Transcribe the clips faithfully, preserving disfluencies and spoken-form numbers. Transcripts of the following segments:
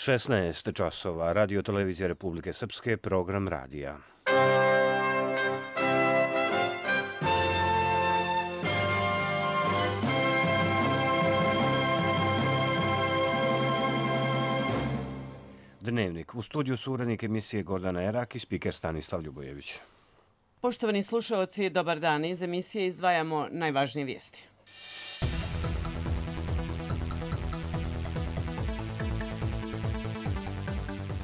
šesnaest časova, Radio Televizija Republike Srpske, program radija. Dnevnik. U studiju su urednik emisije Gordana Erak i spiker Stanislav Ljubojević. Poštovani slušalci, dobar dan. Iz emisije izdvajamo najvažnije vijesti.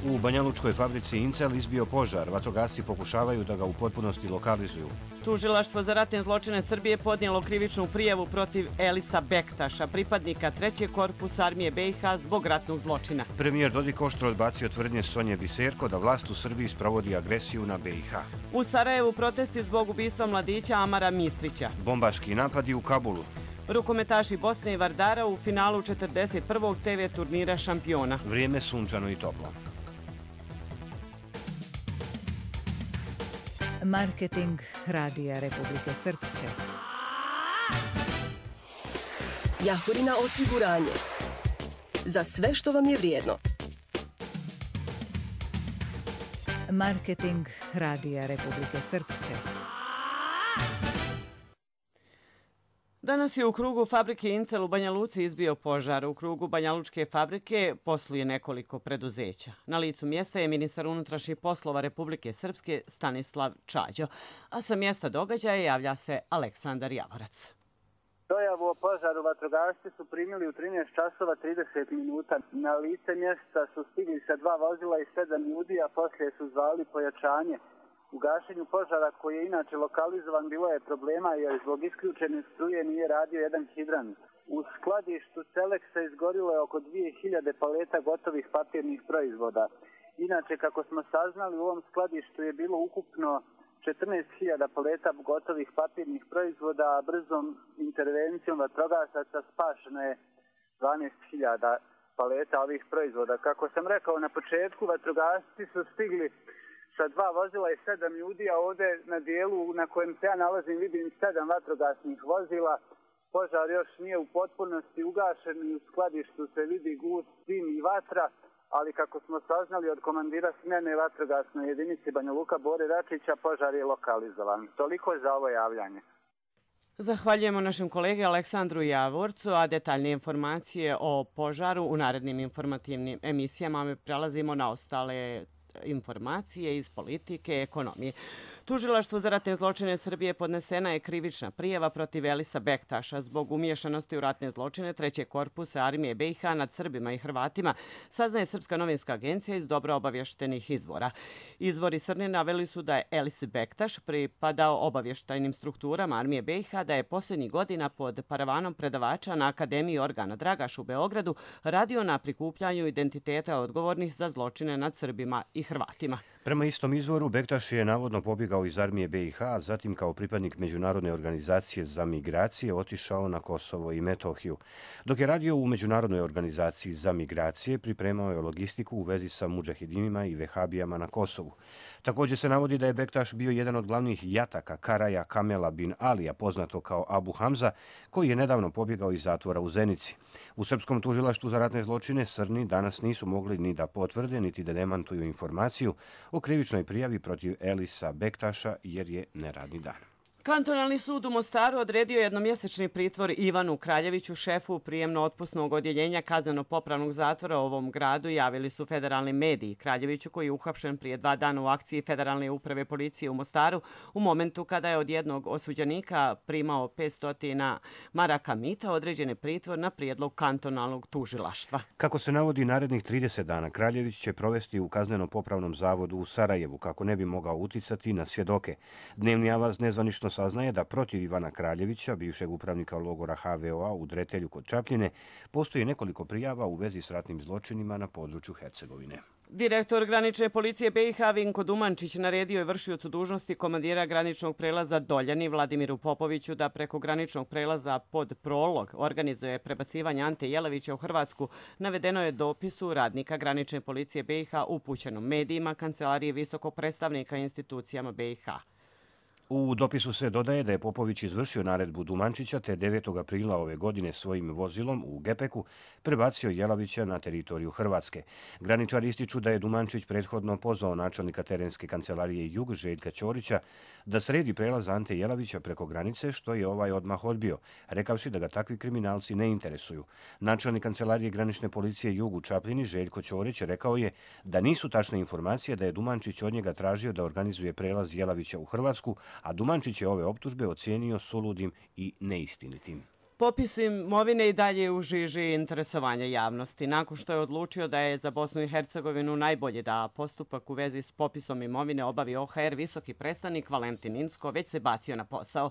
U Banjalučkoj fabrici Incel izbio požar. Vatrogasci pokušavaju da ga u potpunosti lokalizuju. Tužilaštvo za ratne zločine Srbije podnijelo krivičnu prijavu protiv Elisa Bektaša, pripadnika trećeg korpusa armije B i H zbog ratnog zločina. Premijer Dodik oštro odbacio tvrdnje Sonje Biserko da vlast u Srbiji sprovodi agresiju na B i H. U Sarajevu protesti zbog ubistva mladića Amara Mistrića. Bombaški napadi u Kabulu. Rukometaši Bosne i Vardara u finalu četrdeset prvog te ve turnira šampiona. Vrijeme sunčano i toplo. Marketing Radija Republike Srpske. Jahorina osiguranje. Za sve što vam je vrijedno. Marketing Radija Republike Srpske. Danas je u krugu fabrike Incel u Banja Luci izbio požar. U krugu Banjalučke fabrike posluje nekoliko preduzeća. Na licu mjesta je ministar unutrašnjih poslova Republike Srpske Stanislav Čađo, a sa mjesta događaja javlja se Aleksandar Javorac. Dojavu o požaru vatrogasci su primili u trinaest časova trideset minuta. Na lice mjesta su stigli sa dva vozila i sedam ljudi, a poslije su zvali pojačanje. U gašenju požara, koji je inače lokalizovan, bilo je problema jer zbog isključene struje nije radio jedan hidrant. U skladištu Seleksa izgorilo je oko dvije hiljade paleta gotovih papirnih proizvoda. Inače, kako smo saznali, u ovom skladištu je bilo ukupno četrnaest hiljada paleta gotovih papirnih proizvoda, a brzom intervencijom vatrogasaca spašeno je dvanaest hiljada paleta ovih proizvoda. Kako sam rekao na početku, vatrogasci su stigli sa dva vozila i sedam ljudi, a ovdje na dijelu na kojem se ja nalazim vidim sedam vatrogasnih vozila. Požar još nije u potpunosti ugašen i u skladištu se vidi gust, dim i vatra, ali kako smo saznali od komandira smjene vatrogasne jedinice Banja Luka Bore Račića, požar je lokalizovan. Toliko za ovo javljanje. Zahvaljujemo našem kolegi Aleksandru Javorcu, a detaljne informacije o požaru u narednim informativnim emisijama. Mi prelazimo na ostale informacije iz politike i ekonomije. Tužilaštvu za ratne zločine Srbije podnesena je krivična prijava protiv Elisa Bektaša zbog umiješanosti u ratne zločine trećeg korpusa armije B i H nad Srbima i Hrvatima, saznaje Srpska novinska agencija iz dobro obavještenih izvora. Izvori Srne naveli su da je Elis Bektaš pripadao obavještajnim strukturama armije B i H, da je posljednjih godina pod paravanom predavača na Akademiji Organa Dragaš u Beogradu radio na prikupljanju identiteta odgovornih za zločine nad Srbima i Hrvatima. Prema istom izvoru, Bektaš je navodno pobjegao iz armije B i H, a zatim kao pripadnik Međunarodne organizacije za migracije otišao na Kosovo i Metohiju. Dok je radio u Međunarodnoj organizaciji za migracije, pripremao je logistiku u vezi sa mudžahidinima i vehabijama na Kosovu. Također se navodi da je Bektaš bio jedan od glavnih jataka Karaja Kamela bin Alija, poznato kao Abu Hamza, koji je nedavno pobjegao iz zatvora u Zenici. U Srpskom tužilaštvu za ratne zločine Srni danas nisu mogli ni da potvrde, niti da demantuju informaciju o krivičnoj prijavi protiv Elisa Bektaša jer je neradni dan. Kantonalni sud u Mostaru odredio jednomjesečni pritvor Ivanu Kraljeviću, šefu prijemno-otpusnog odjeljenja kazneno-popravnog zatvora u ovom gradu, javili su federalni mediji. Kraljeviću, koji je uhapšen prije dva dana u akciji Federalne uprave policije u Mostaru, u momentu kada je od jednog osuđenika primao petsto maraka mita, određen je pritvor na prijedlog kantonalnog tužilaštva. Kako se navodi, narednih trideset dana Kraljević će provesti u kazneno-popravnom zavodu u Sarajevu, kako ne bi mogao uticati na svjedoke. Dnevni avaz nezvanično saznaje da protiv Ivana Kraljevića, bivšeg upravnika logora H V O A u Dretelju kod Čapljine, postoji nekoliko prijava u vezi s ratnim zločinima na području Hercegovine. Direktor granične policije B i H Vinko Dumančić naredio je vršiocu dužnosti komandira graničnog prelaza Doljani Vladimiru Popoviću da preko graničnog prelaza pod Prolog organizuje prebacivanje Ante Jelavića u Hrvatsku. Navedeno je dopisu radnika granične policije B i H upućenom medijima, kancelarije visokog predstavnika institucijama B i H. U dopisu se dodaje da je Popović izvršio naredbu Dumančića te devetog aprila ove godine svojim vozilom u Gepeku prebacio Jelavića na teritoriju Hrvatske. Graničari ističu da je Dumančić prethodno pozvao načelnika terenske kancelarije Jug Željka Ćorića da sredi prelaz Ante Jelavića preko granice, što je ovaj odmah odbio, rekavši da ga takvi kriminalci ne interesuju. Načelnik kancelarije granične policije Jug u Čapljini Željko Ćorić rekao je da nisu tačne informacije da je Dumančić od njega tražio da organizuje prelaz Jelavića u Hrvatsku, a Dumančić je ove optužbe ocijenio suludim i neistinitim. Popis imovine i dalje u žiži interesovanja javnosti. Nakon što je odlučio da je za Bosnu i Hercegovinu najbolje da postupak u vezi s popisom imovine obavi O H R, visoki predstavnik Valentin Incko već se bacio na posao.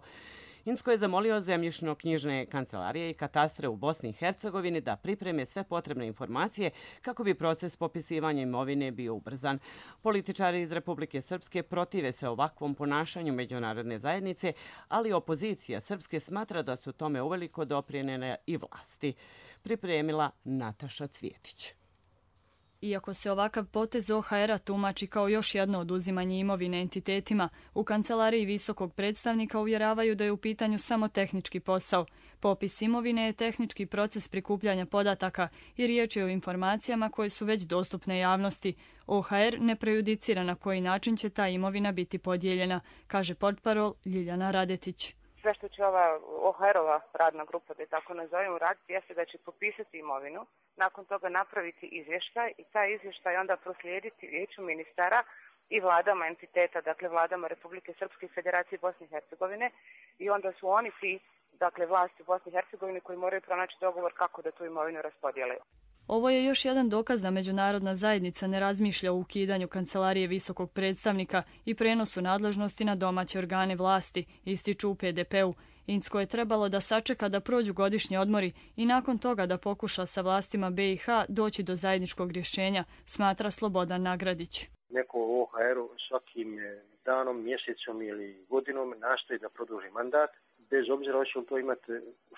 Incko je zamolio zemljišno-knjižne kancelarije i katastre u Bosni i Hercegovini da pripreme sve potrebne informacije kako bi proces popisivanja imovine bio ubrzan. Političari iz Republike Srpske protive se ovakvom ponašanju međunarodne zajednice, ali opozicija Srpske smatra da su tome uveliko doprinijele i vlasti. Pripremila Nataša Cvjetić. Iako se ovakav potez O H R-a tumači kao još jedno oduzimanje imovine entitetima, u kancelariji visokog predstavnika uvjeravaju da je u pitanju samo tehnički posao. Popis imovine je tehnički proces prikupljanja podataka i riječ je o informacijama koje su već dostupne javnosti. O H R ne prejudicira na koji način će ta imovina biti podijeljena, kaže portparol Ljiljana Radetić. Sve što će ova O H R-ova radna grupa, da je tako nazovemo, raditi jeste da će popisati imovinu, nakon toga napraviti izvještaj i taj izvještaj onda proslijediti Vijeću ministara i vladama entiteta, dakle vladama Republike Srpske i Federacije Bosne i Hercegovine, i onda su oni ti, dakle vlasti Bosne i Hercegovine, koji moraju pronaći dogovor kako da tu imovinu raspodijele. Ovo je još jedan dokaz da međunarodna zajednica ne razmišlja o ukidanju kancelarije visokog predstavnika i prenosu nadležnosti na domaće organe vlasti, ističu u P D P-u. Incko je trebalo da sačeka da prođu godišnji odmori i nakon toga da pokuša sa vlastima B i H doći do zajedničkog rješenja, smatra Slobodan Nagradić. Neko u O H R-u svakim danom, mjesecom ili godinom nastoji da produži mandat, bez obzira hoće li to imati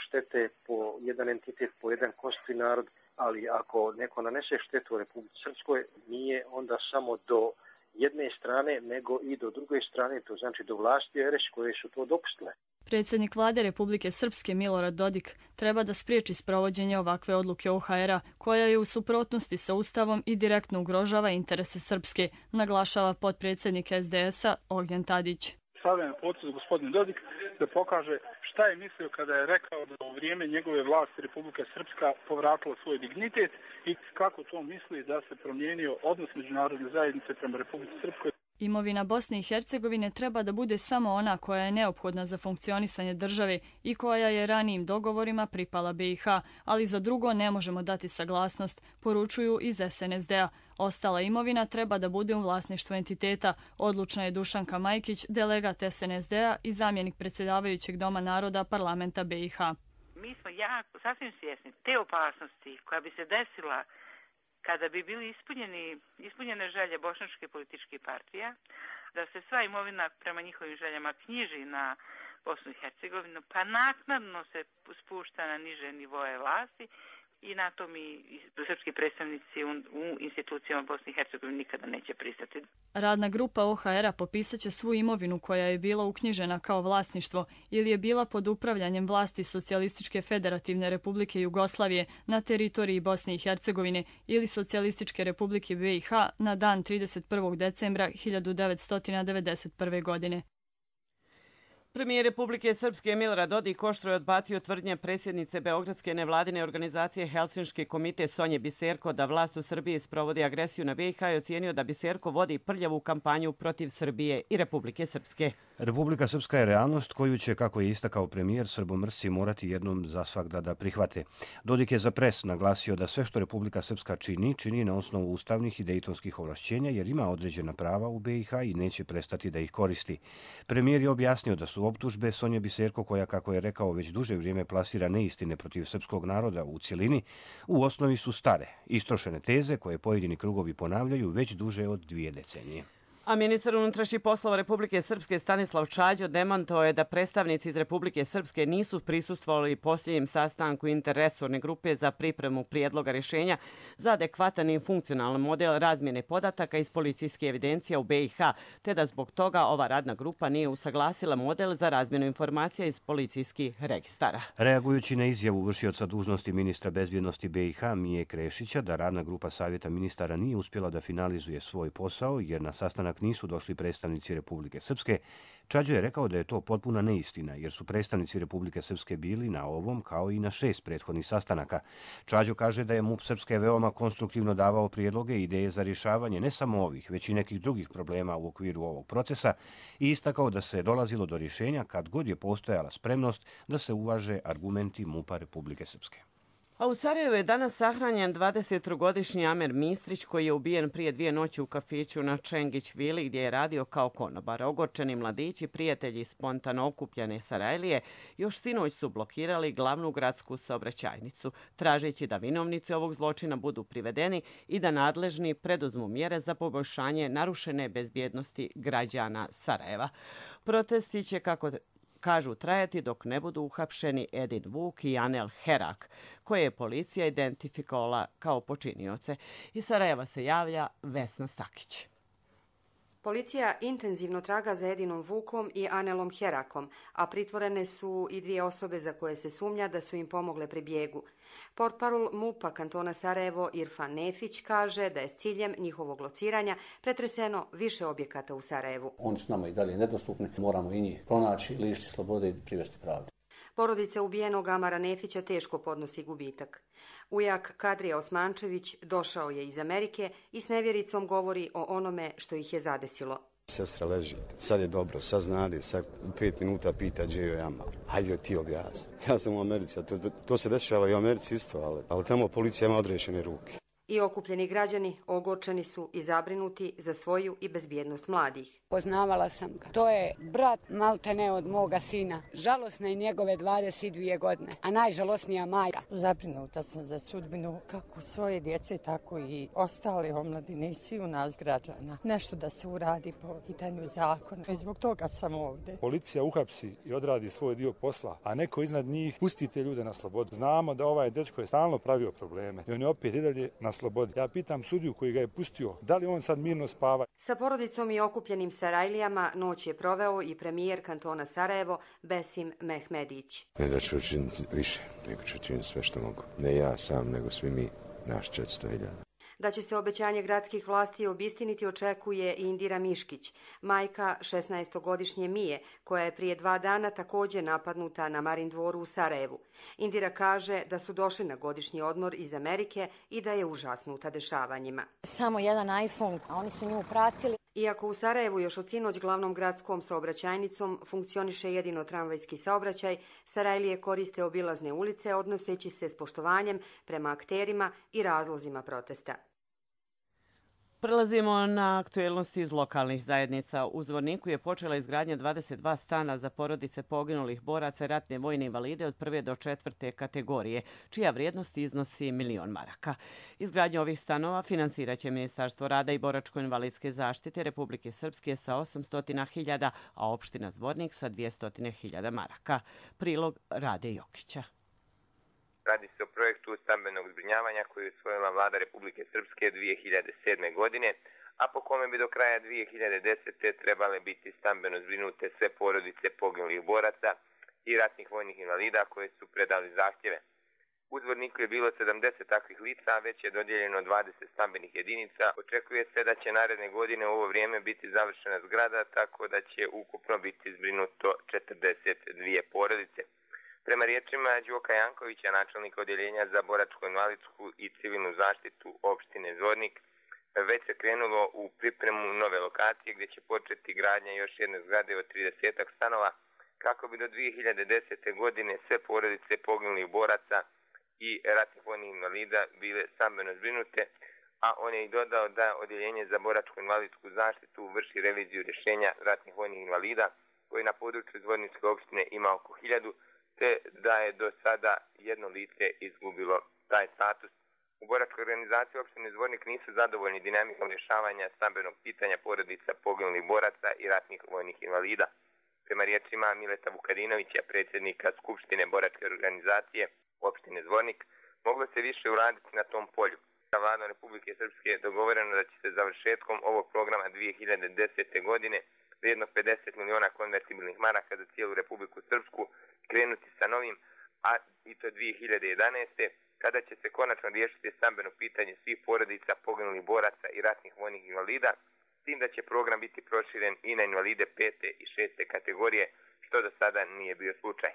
štete po jedan entitet, po jedan konstitutivni narod, ali ako neko nanese štetu u Republici Srpskoj, nije onda samo do jedne strane, nego i do druge strane, to znači do vlasti R S koje su to dopustile. Predsjednik vlade Republike Srpske Milorad Dodik treba da spriječi sprovođenje ovakve odluke O H R-a, koja je u suprotnosti sa Ustavom i direktno ugrožava interese Srpske, naglašava potpredsjednik S D S-a Ognjen Tadić. Stavlja na potez gospodin Dodik da pokaže šta je mislio kada je rekao da u vrijeme njegove vlasti Republika Srpska povratila svoj dignitet i kako to misli da se promijenio odnos međunarodne zajednice prema Republici Srpskoj. Imovina Bosne i Hercegovine treba da bude samo ona koja je neophodna za funkcionisanje države i koja je ranijim dogovorima pripala B i H, ali za drugo ne možemo dati saglasnost, poručuju iz S N S D-a. Ostala imovina treba da bude u vlasništvu entiteta, odlučna je Dušanka Majkić, delegat S N S D-a i zamjenik predsjedavajućeg Doma naroda parlamenta B i H. Mi smo jako sasvim svjesni te opasnosti koja bi se desila kada bi bili ispunjeni, ispunjene želje bošnjačke političkih partija, da se sva imovina prema njihovim željama knjiži na Bosnu i Hercegovinu, pa naknadno se spušta na niže nivoje vlasti i na to mi srpski predstavnici u, u institucijama Bosne i Hercegovine nikada neće pristati. Radna grupa O H R-a popisat će svu imovinu koja je bila uknjižena kao vlasništvo ili je bila pod upravljanjem vlasti Socijalističke federativne republike Jugoslavije na teritoriji Bosne i Hercegovine ili Socijalističke republike B i H na dan trideset prvog decembra hiljadu devetsto devedeset prve. godine. Premijer Republike Srpske Milorad Dodik oštro je odbacio tvrdnje predsjednice Beogradske nevladine organizacije Helsinški komite Sonje Biserko da vlast u Srbiji sprovodi agresiju na B i H i ocijenio da Biserko vodi prljavu kampanju protiv Srbije i Republike Srpske. Republika Srpska je realnost koju će, kako je istakao premijer, srbomrsci morati jednom za svagda da prihvate. Dodik je za pres naglasio da sve što Republika Srpska čini, čini na osnovu ustavnih i dejtonskih ovlašćenja jer ima određena prava u B i H i neće prestati da ih koristi. Premijer je objasnio da su optužbe Sonje Biserko, koja, kako je rekao, već duže vrijeme plasira neistine protiv srpskog naroda u cjelini, u osnovi su stare, istrošene teze koje pojedini krugovi ponavljaju već duže od dvije decenije. A ministar unutrašnjih poslova Republike Srpske Stanislav Čađo demantovao je da predstavnici iz Republike Srpske nisu prisustvovali posljednjem sastanku interresorne grupe za pripremu prijedloga rješenja za adekvatan i funkcionalan model razmjene podataka iz policijske evidencije u B i H, te da zbog toga ova radna grupa nije usaglasila model za razmjenu informacija iz policijskih registara. Reagujući na izjavu vršioca dužnosti ministra bezbjednosti B i H Mije Krešića da radna grupa Savjeta ministara nije uspjela da finalizuje svoj posao jer na sastanak nisu došli predstavnici Republike Srpske, Čađo je rekao da je to potpuna neistina, jer su predstavnici Republike Srpske bili na ovom kao i na šest prethodnih sastanaka. Čađo kaže da je MUP Srpske veoma konstruktivno davao prijedloge i ideje za rješavanje ne samo ovih, već i nekih drugih problema u okviru ovog procesa i istakao da se dolazilo do rješenja kad god je postojala spremnost da se uvaže argumenti MUP-a Republike Srpske. A u Sarajevu je danas sahranjen dvadesettrogodišnji Amer Mistrić koji je ubijen prije dvije noći u kafiću na Čengić Vili gdje je radio kao konobar. Ogorčeni mladići, prijatelji spontano okupljene Sarajlije, još sinoć su blokirali glavnu gradsku saobraćajnicu, tražeći da vinovnici ovog zločina budu privedeni i da nadležni preduzmu mjere za poboljšanje narušene bezbjednosti građana Sarajeva. Protesti će, kako kažu, trajati dok ne budu uhapšeni Edin Vuk i Anel Herak, koje je policija identifikovala kao počinioce. Iz Sarajeva se javlja Vesna Stakić. Policija intenzivno traga za Edinom Vukom i Anelom Herakom, a pritvorene su i dvije osobe za koje se sumnja da su im pomogle pri bijegu. Portparol MUP-a kantona Sarajevo Irfan Nefić kaže da je s ciljem njihovog lociranja pretreseno više objekata u Sarajevu. Oni su nama i dalje nedostupni, moramo i njih pronaći, lišiti slobode i privesti pravdi. Porodica ubijenog Amara Nefića teško podnosi gubitak. Ujak Kadrija Osmančević došao je iz Amerike i s nevjericom govori o onome što ih je zadesilo. Sestra leži, sad je dobro, sad znade, sad u pet minuta pita gdje joj Amar. Hajde ti objasni. Ja sam u Americi, a to, to se dešava i u Americi isto, ali, ali tamo policija ima odrešene ruke. I okupljeni građani ogorčeni su i zabrinuti za svoju i bezbjednost mladih. Poznavala sam ga. To je brat maltene od moga sina. Žalosna je njegove dvadeset dvije godine, a najžalosnija majka. Zabrinuta sam za sudbinu kako svoje djece, tako i ostale omladine i svi u nas građana. Nešto da se uradi po pitanju zakona i zbog toga sam ovdje. Policija uhapsi i odradi svoj dio posla, a neko iznad njih pusti te ljude na slobodu. Znamo da ovaj dečko je stalno pravio probleme i on je opet i dalje na slobodi. Ja pitam sudiju koji ga je pustio, da li on sad mirno spava? Sa porodicom i okupljenim Sarajlijama noć je proveo i premijer kantona Sarajevo Besim Mehmedić. Ne da ću učiniti više, nego ću učiniti sve što mogu. Ne ja sam, nego svi mi, naš četiristo hiljada. Da će se obećanje gradskih vlasti obistiniti očekuje i Indira Miškić, majka šesnaestogodišnje Mije, koja je prije dva dana također napadnuta na Marindvoru u Sarajevu. Indira kaže da su došli na godišnji odmor iz Amerike i da je užasnuta dešavanjima. Samo jedan iPhone, a oni su nju pratili. Iako u Sarajevu još od sinoć glavnom gradskom saobraćajnicom funkcioniše jedino tramvajski saobraćaj, Sarajlije koriste obilazne ulice odnoseći se s poštovanjem prema akterima i razlozima protesta. Prelazimo na aktuelnosti iz lokalnih zajednica. U Zvorniku je počela izgradnja dvadeset dva stana za porodice poginulih boraca i ratne vojne invalide od prve do četvrte kategorije, čija vrijednost iznosi milion maraka. Izgradnju ovih stanova finansirat će Ministarstvo rada i boračko-invalidske zaštite Republike Srpske sa osamsto hiljada, a opština Zvornik sa dvjesto hiljada maraka. Prilog Rade Jokića. Radi se o projektu stambenog zbrinjavanja koji je usvojila vlada Republike Srpske dvije hiljade sedme. godine, a po kome bi do kraja dvije hiljade desete. trebale biti stambeno zbrinute sve porodice poginulih boraca i ratnih vojnih invalida koje su predali zahtjeve. U Zvorniku je bilo sedamdeset takvih lica, a već je dodijeljeno dvadeset stambenih jedinica. Očekuje se da će naredne godine u ovo vrijeme biti završena zgrada, tako da će ukupno biti zbrinuto četrdeset dvije porodice. Prema riječima Đoka Jankovića, načelnika odjeljenja za boračko-invalidsku i civilnu zaštitu opštine Zvornik, već se krenulo u pripremu nove lokacije gdje će početi gradnja još jedne zgrade od trideset stanova kako bi do dvije hiljade desete. godine sve porodice poginulih boraca i ratnih vojnih invalida bile stambeno zbrinute, a on je i dodao da odjeljenje za boračko-invalidsku zaštitu vrši reviziju rješenja ratnih vojnih invalida koji na području Zvorničke opštine ima oko hiljadu, te da je do sada jedno lice izgubilo taj status. U boračkoj organizaciji opštine Zvornik nisu zadovoljni dinamikom rješavanja stambenog pitanja porodica poginulih boraca i ratnih vojnih invalida. Prema riječima Mileta Vukadinovića, predsjednika Skupštine boračke organizacije opštine Zvornik, moglo se više uraditi na tom polju. Sa vladom Republike Srpske je dogovoreno da će se završetkom ovog programa dvije hiljade desete. godine vrijednog pedeset miliona konvertibilnih maraka za cijelu Republiku Srpsku krenuti sa novim, a i to dvije hiljade jedanaeste. kada će se konačno riješiti stambeno pitanje svih porodica poginulih boraca i ratnih vojnih invalida, s tim da će program biti proširen i na invalide pete i šeste kategorije, što do sada nije bio slučaj.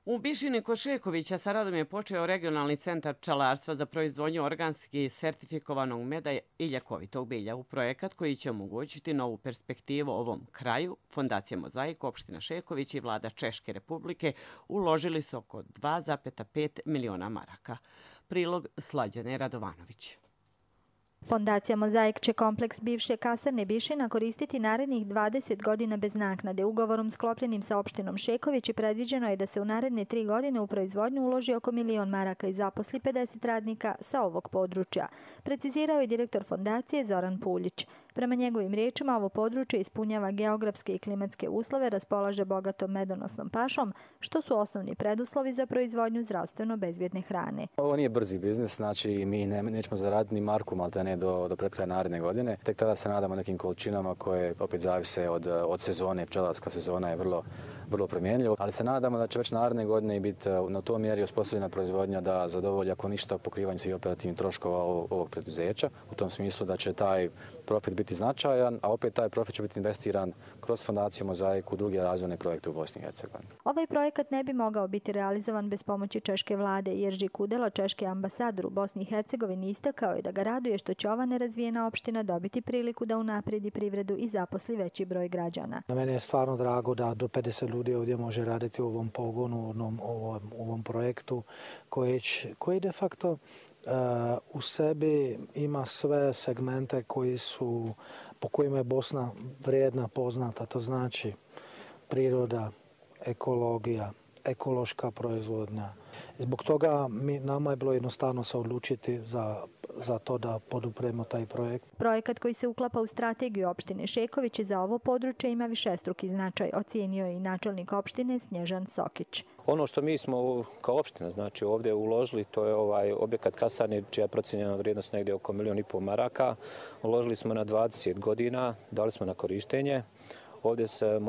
U Bišini kod Šekovića sa radom je počeo regionalni centar pčelarstva za proizvodnju organski sertifikovanog meda i ljekovitog bilja. U projekat koji će omogućiti novu perspektivu ovom kraju, Fondacija Mozaik, opština Šeković i vlada Češke republike uložili su oko dva zarez pet miliona maraka. Prilog Slađane Radovanović. Fondacija Mozaik će kompleks bivše kasarne Bišina koristiti narednih dvadeset godina bez naknade. Ugovorom sklopljenim sa opštinom Šeković i predviđeno je da se u naredne tri godine u proizvodnju uloži oko milion maraka i zaposli pedeset radnika sa ovog područja, precizirao je direktor fondacije Zoran Puljić. Prema njegovim riječima, ovo područje ispunjava geografske i klimatske uslove, raspolaže bogatom medonosnom pašom, što su osnovni preduslovi za proizvodnju zdravstveno bezbjedne hrane. Ovo nije brzi biznis, znači mi ne, nećemo zaraditi ni marku, malte ne do, do pred kraja naredne godine. Tek tada se nadamo nekim količinama koje opet zavise od, od sezone. Pčelarska sezona je vrlo, vrlo promjenljiva, ali se nadamo da će već naredne godine biti na tom mjeri osposobljena proizvodnja da zadovolji ako ništa pokrivanje svih operativnih troškova ovog, ovog preduzeća. U tom smislu da će taj profit biti značajan, a opet taj profit će biti investiran kroz Fondaciju Mozaik u druge razvojne projekte u Bosni i Hercegovini. Ovaj projekat ne bi mogao biti realizovan bez pomoći češke vlade. Jerži Kudela, češki ambasador u Bosni i Hercegovini, istakao je da ga raduje što će ova nerazvijena opština dobiti priliku da unaprijedi privredu i zaposli veći broj građana. Na mene je stvarno drago da do pedeset ljudi ovdje može raditi u ovom pogonu, u ovom, u ovom projektu koji, koji de facto Uh, u sebi ima sve segmente koji su, po kojima je Bosna vrijedna, poznata. To znači priroda, ekologija, ekološka proizvodnja. Zbog toga mi, nama je bilo jednostavno se odlučiti za, za to da podupremo taj projekt. Projekat koji se uklapa u strategiju opštine Šeković za ovo područje ima višestruki značaj, ocijenio je i načelnik opštine Snježan Sokić. Ono što mi smo kao opština znači ovdje uložili, to je ovaj objekat kasarne čija je procijenjena vrijednost negdje oko milion i pol maraka. Uložili smo na dvadeset godina, dali smo na korištenje. Ovdje se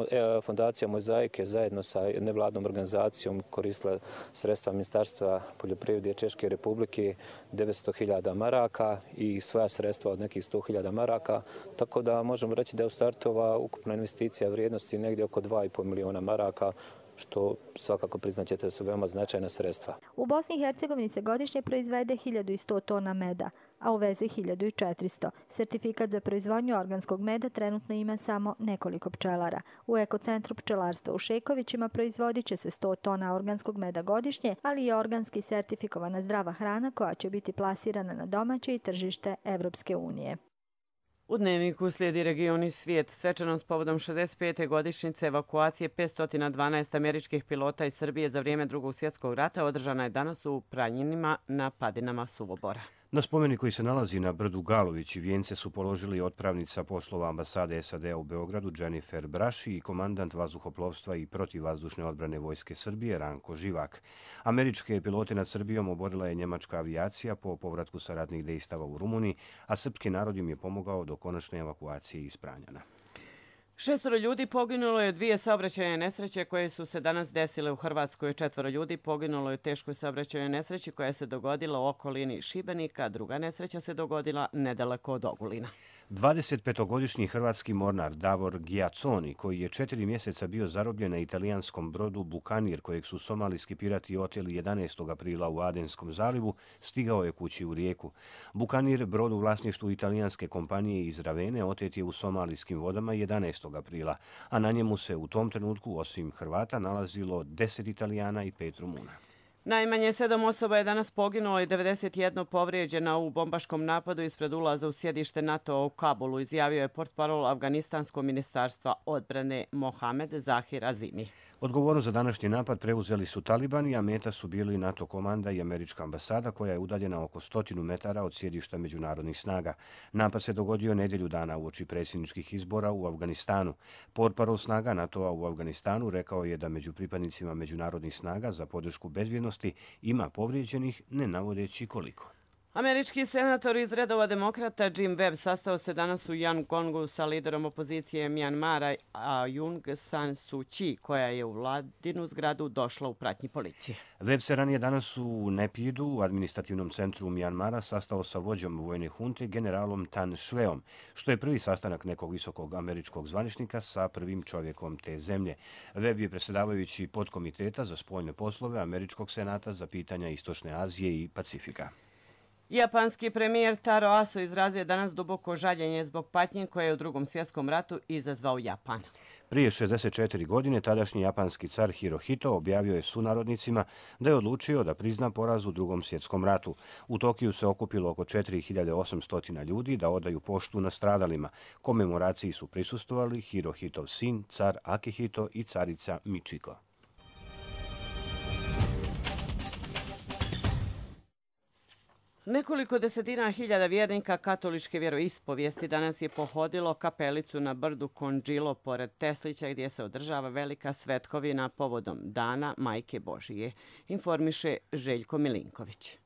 Fondacija Mozaik je zajedno sa nevladnom organizacijom koristila sredstva Ministarstva poljoprivrede Češke republike devetsto hiljada maraka i svoja sredstva od nekih sto hiljada maraka. Tako da možemo reći da je u startu ova ukupna investicija vrijednosti negdje oko dva i pol miliona maraka, što svakako priznaćete da su veoma značajna sredstva. U Bosni i Hercegovini se godišnje proizvede hiljadu sto tona meda, a uveze hiljadu četiristo. Sertifikat za proizvodnju organskog meda trenutno ima samo nekoliko pčelara. U ekocentru pčelarstva u Šekovićima proizvodit će se sto tona organskog meda godišnje, ali i organski sertifikovana zdrava hrana koja će biti plasirana na domaće i tržište Evropske unije. U Dnevniku slijedi Region i svijet. Svečanom s povodom šezdeset pete godišnjice evakuacije petsto dvanaest američkih pilota iz Srbije za vrijeme Drugog svjetskog rata održana je danas u Pranjinima na padinama Suvobora. Na spomenik koji se nalazi na brdu Galović i vijence su položili otpravnica poslova ambasade S A D-a u Beogradu Jennifer Braši i komandant vazduhoplovstva i protivvazdušne odbrane Vojske Srbije Ranko Živak. Američke pilote nad Srbijom oborila je njemačka avijacija po povratku sa ratnih dejstava u Rumuniji, a srpski narod im je pomogao do konačne evakuacije iz Pranjana. Šestoro ljudi poginulo je dvije saobraćajne nesreće koje su se danas desile u Hrvatskoj. Četvoro ljudi poginulo je u teškoj saobraćajnoj nesreći koja se dogodila u okolini Šibenika. Druga nesreća se dogodila nedaleko od Ogulina. dvadesetpetogodišnji hrvatski mornar Davor Giaconi, koji je četiri mjeseca bio zarobljen na italijanskom brodu Bukanir, kojeg su somalijski pirati oteli jedanaestog aprila u Adenskom zalivu, stigao je kući u Rijeku. Bukanir, brod u vlasništvu italijanske kompanije iz Ravene, otet je u somalijskim vodama jedanaestog aprila, a na njemu se u tom trenutku, osim Hrvata, nalazilo deset Italijana i pet Rumuna. Najmanje sedam osoba je danas poginulo i devedeset jedna povrijeđena u bombaškom napadu ispred ulaza u sjedište NATO u Kabulu, izjavio je portparol Afganistanskog ministarstva odbrane Mohamed Zahir Azimi. Odgovornost za današnji napad preuzeli su talibani, a meta su bili NATO komanda i američka ambasada koja je udaljena oko stotinu metara od sjedišta međunarodnih snaga. Napad se dogodio nedjelju dana uoči predsjedničkih izbora u Afganistanu. Portparol snaga NATO-a u Afganistanu rekao je da među pripadnicima međunarodnih snaga za podršku bezbjednosti ima povrijeđenih, ne navodeći koliko. Američki senator iz redova demokrata Jim Webb sastao se danas u Yangongu sa liderom opozicije Mjanmara Aung San Suu Kyi, koja je u vladinu zgradu došla u pratnji policije. Webb se ranije danas u Nepidu, u administrativnom centru Mjanmara, sastao sa vođom vojne hunte generalom Tan Shweom, što je prvi sastanak nekog visokog američkog zvaničnika sa prvim čovjekom te zemlje. Webb je predsjedavajući podkomiteta za spoljne poslove Američkog senata za pitanja Istočne Azije i Pacifika. Japanski premijer Taro Aso izrazio danas duboko žaljenje zbog patnje koje je u Drugom svjetskom ratu izazvao Japan. Prije šezdeset četiri godine tadašnji japanski car Hirohito objavio je sunarodnicima da je odlučio da prizna poraz u Drugom svjetskom ratu. U Tokiju se okupilo oko četiri hiljade osamsto ljudi da odaju poštu nastradalima. Komemoraciji su prisustvovali Hirohitov sin, car Akihito i carica Michiko. Nekoliko desetina hiljada vjernika katoličke vjeroispovijesti danas je pohodilo kapelicu na brdu Konđilo pored Teslića gdje se održava velika svetkovina povodom Dana Majke Božije, informiše Željko Milinković.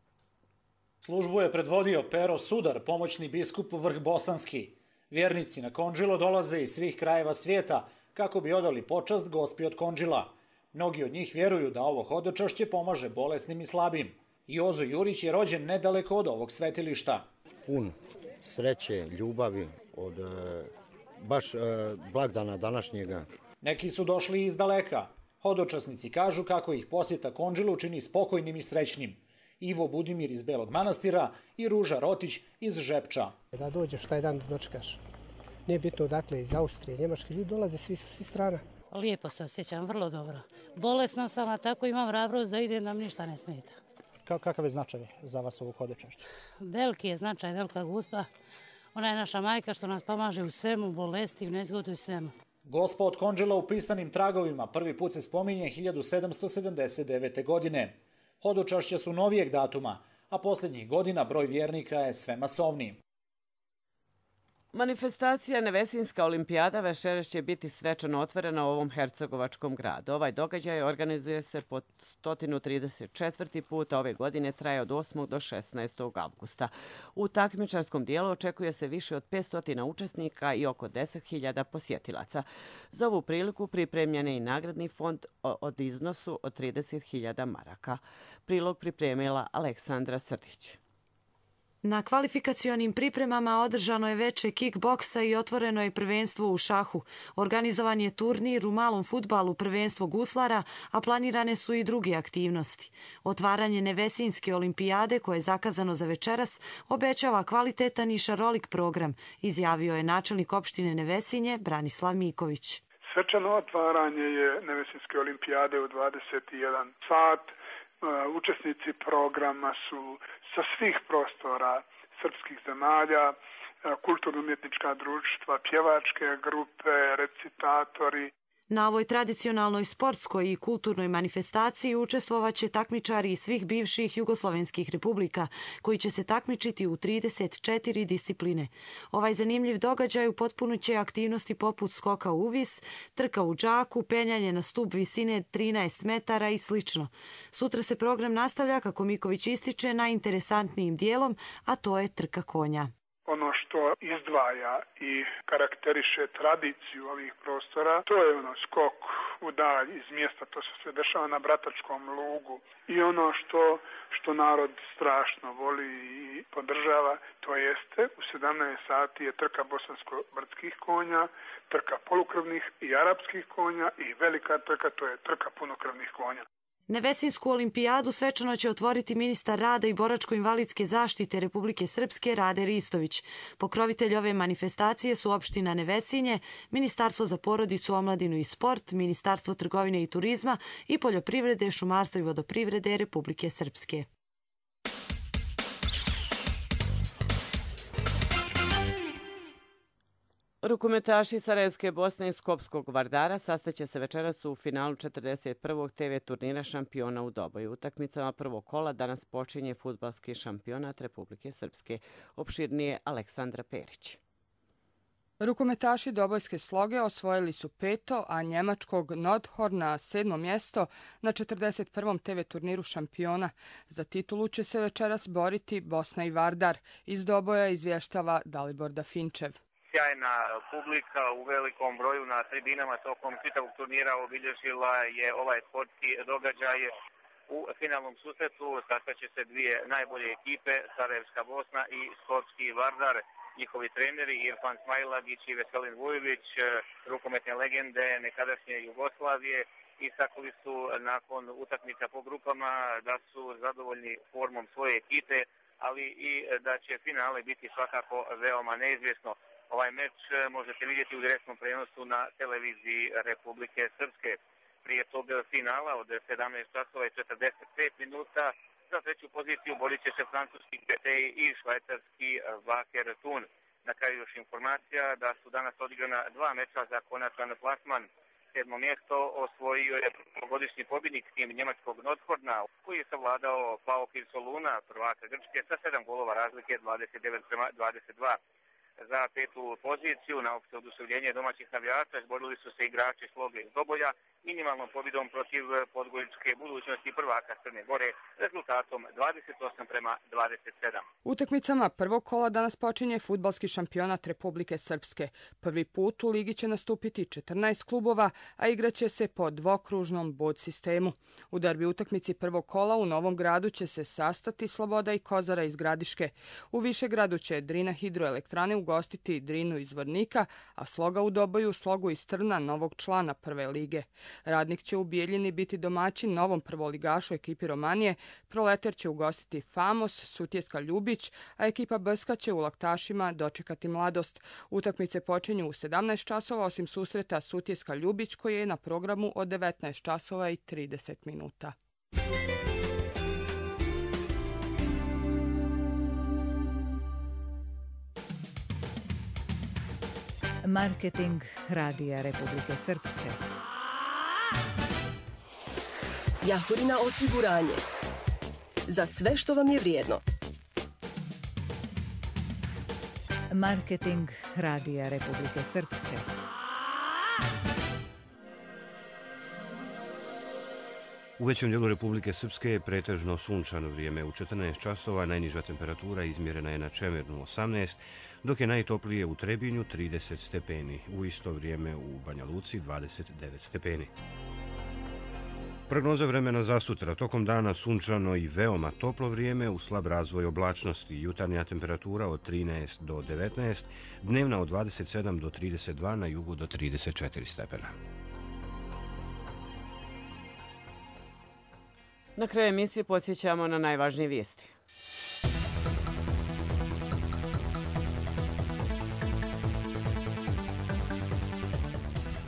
Službu je predvodio Pero Sudar, pomoćni biskup Vrhbosanski. Vjernici na Konđilo dolaze iz svih krajeva svijeta kako bi odali počast Gospi od Konđila. Mnogi od njih vjeruju da ovo hodočašće pomaže bolesnim i slabim. Jozo Jurić je rođen nedaleko od ovog svetilišta. Pun sreće, ljubavi od baš blagdana današnjega. Neki su došli iz daleka. Hodočasnici kažu kako ih posjeta Konđilu čini spokojnim i srećnim. Ivo Budimir iz Belog Manastira i Ruža Rotić iz Žepča. Da dođeš taj dan da dočekaš. Nije bitno odakle, iz Austrije, Njemačke, ljudi dolaze svi sa svih strana. Lijepo se osjećam, vrlo dobro. Bolesna sam, a tako imam hrabrost da idem, nam ništa ne smeta. Kakav je značaj za vas ovog hodočašća? Veliki je značaj, velika Gospa. Ona je naša majka što nas pomaže u svemu, bolesti, u nezgodu i svemu. Gospa od Konđila u pisanim tragovima prvi put se spominje hiljadu sedamsto sedamdeset devete. godine. Hodočašća su novijeg datuma, a posljednjih godina broj vjernika je sve masovniji. Manifestacija Nevesinska olimpijada večeras će biti svečano otvorena u ovom hercegovačkom gradu. Ovaj događaj organizuje se po sto trideset četvrti put, a ove godine traje od osmog do šesnaestog avgusta. U takmičarskom dijelu očekuje se više od petsto učesnika i oko deset hiljada posjetilaca. Za ovu priliku pripremljen je i nagradni fond od iznosu od trideset hiljada maraka. Prilog pripremila Aleksandra Srdić. Na kvalifikacionim pripremama održano je veče kickboksa i otvoreno je prvenstvo u šahu. Organizovan je turnir u malom fudbalu, prvenstvo guslara, a planirane su i druge aktivnosti. Otvaranje Nevesinske olimpijade, koje je zakazano za večeras, obećava kvalitetan i šarolik program, izjavio je načelnik opštine Nevesinje Branislav Miković. Svečano otvaranje je Nevesinske olimpijade u dvadeset jedan sat. Učesnici programa su sa svih prostora srpskih zemalja, kulturno-umjetnička društva, pjevačke grupe, recitatori. Na ovoj tradicionalnoj sportskoj i kulturnoj manifestaciji učestvovaće takmičari iz svih bivših jugoslovenskih republika, koji će se takmičiti u trideset četiri discipline. Ovaj zanimljiv događaj upotpunit će aktivnosti poput skoka u vis, trka u džaku, penjanje na stup visine trinaest metara i sl. Sutra se program nastavlja, kako Miković ističe, najinteresantnijim dijelom, a to je trka konja. Ono što izdvaja i karakteriše tradiciju ovih prostora, to je ono skok u dalj iz mjesta, to se dešava na Bratačkom lugu. I ono što, što narod strašno voli i podržava, to jeste u sedamnaest sati je trka bosansko-brdskih konja, trka polukrvnih i arapskih konja i velika trka, to je trka punokrvnih konja. Nevesinsku olimpijadu svečano će otvoriti ministar rada i boračko-invalidske zaštite Republike Srpske Rade Ristović. Pokrovitelji ove manifestacije su opština Nevesinje, Ministarstvo za porodicu, omladinu i sport, Ministarstvo trgovine i turizma i poljoprivrede, šumarstva i vodoprivrede Republike Srpske. Rukometaši Sarajevske Bosne i Skopskog Vardara sastaće se večeras u finalu četrdeset prvog te ve turnira šampiona u Doboju. Utakmicama prvog kola danas počinje fudbalski šampionat Republike Srpske. Opširnije Aleksandra Perić. Rukometaši Dobojske Sloge osvojili su peto, a njemačkog Nordhorna sedmo mjesto na četrdeset prvom te ve turniru šampiona. Za titulu će se večeras boriti Bosna i Vardar. Iz Doboja izvještava Dalibor Dafinčev. Sjajna publika u velikom broju na tribinama tokom čitavog turnira obilježila je ovaj sportski događaj. U finalnom susretu sastaće se dvije najbolje ekipe, Sarajevska Bosna i Skopski Vardar. Njihovi treneri Irfan Smajlagić i Veselin Vujović, rukometne legende nekadašnje Jugoslavije, istakli su nakon utakmica po grupama da su zadovoljni formom svoje ekipe, ali i da će finale biti svakako veoma neizvjesno. Ovaj meč možete vidjeti u direktnom prenosu na televiziji Republike Srpske. Prije tog finala od sedamnaest časova i četrdeset pet minuta za treću poziciju borit će se francuski Betej i švajcarski Wacker Thun. Na kraju još informacija da su danas odigrana dva meča za konačan plasman. Sedmo mjesto osvojio je godišnji pobjednik tim njemačkog Nordhorna, koji je savladao PAOK iz Soluna, prvaka Grčke, sa sedam golova razlike dvadeset devet prema dvadeset dva. Za petu poziciju na opšte oduševljenje domaćih navijača izborili su se igrači Sloge iz Doboja minimalnom pobjedom protiv podgoričke budućnosti prvaka Crne Gore rezultatom dvadeset osam prema dvadeset sedam. Utakmicama prvog kola danas počinje fudbalski šampionat Republike Srpske. Prvi put u ligi će nastupiti četrnaest klubova, a igraće se po dvokružnom bod sistemu. U derbi utakmici prvog kola u Novom Gradu će se sastati Sloboda i Kozara iz Gradiške. U Višegradu će Drina hidroelektrane ugostiti Drinu iz Vornika, a Sloga u Doboju Slogu iz Trna, novog člana prve lige. Radnik će u Bijeljini biti domaćin novom prvoligašu ekipi Romanije, Proletar će ugostiti Famos, Sutjeska Ljubić, a ekipa Brska će u Laktašima dočekati Mladost. Utakmice počinju u sedamnaest časova, osim susreta Sutjeska Ljubić koji je na programu od devetnaest časova i trideset minuta. Marketing Radija Republike Srpske. Jahorina osiguranje. Za sve što vam je vrijedno. Marketing Radija Republike Srpske. U većem dijelu Republike Srpske je pretežno sunčano vrijeme. U četrnaest časova najniža temperatura izmjerena je na Čemernu osamnaest, dok je najtoplije u Trebinju trideset stepeni. U isto vrijeme u Banja Luci dvadeset devet stepeni. Prognoza vremena za sutra. Tokom dana sunčano i veoma toplo vrijeme u slab razvoj oblačnosti. Jutarnja temperatura od trinaest do devetnaest, dnevna od dvadeset sedam do trideset dva, na jugu do trideset četiri stepena. Na kraju emisije podsjećamo na najvažnije vijesti.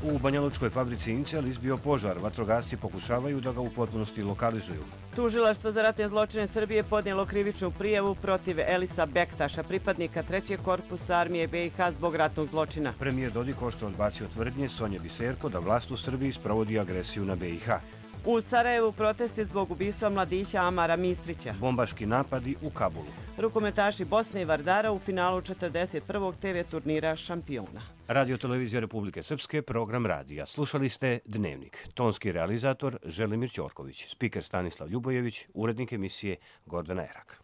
U Banjalučkoj fabrici Incijal izbio požar. Vatrogasci pokušavaju da ga u potpunosti lokalizuju. Tužilaštvo za ratne zločine Srbije podnijelo krivičnu prijavu protiv Elisa Bektaša, pripadnika trećeg korpusa armije be i ha zbog ratnog zločina. Premijer Dodik oštro odbacio tvrdnje Sonje Biserko da vlast u Srbiji sprovodi agresiju na be i ha. U Sarajevu protesti zbog ubistva mladića Amara Mistrića. Bombaški napadi u Kabulu. Rukometaši Bosne i Vardara u finalu četrdeset prvog te ve turnira šampiona. Radio Televizija Republike Srpske, program radija. Slušali ste Dnevnik. Tonski realizator Želimir Ćorković, spiker Stanislav Ljubojević, urednik emisije Gordana Erak.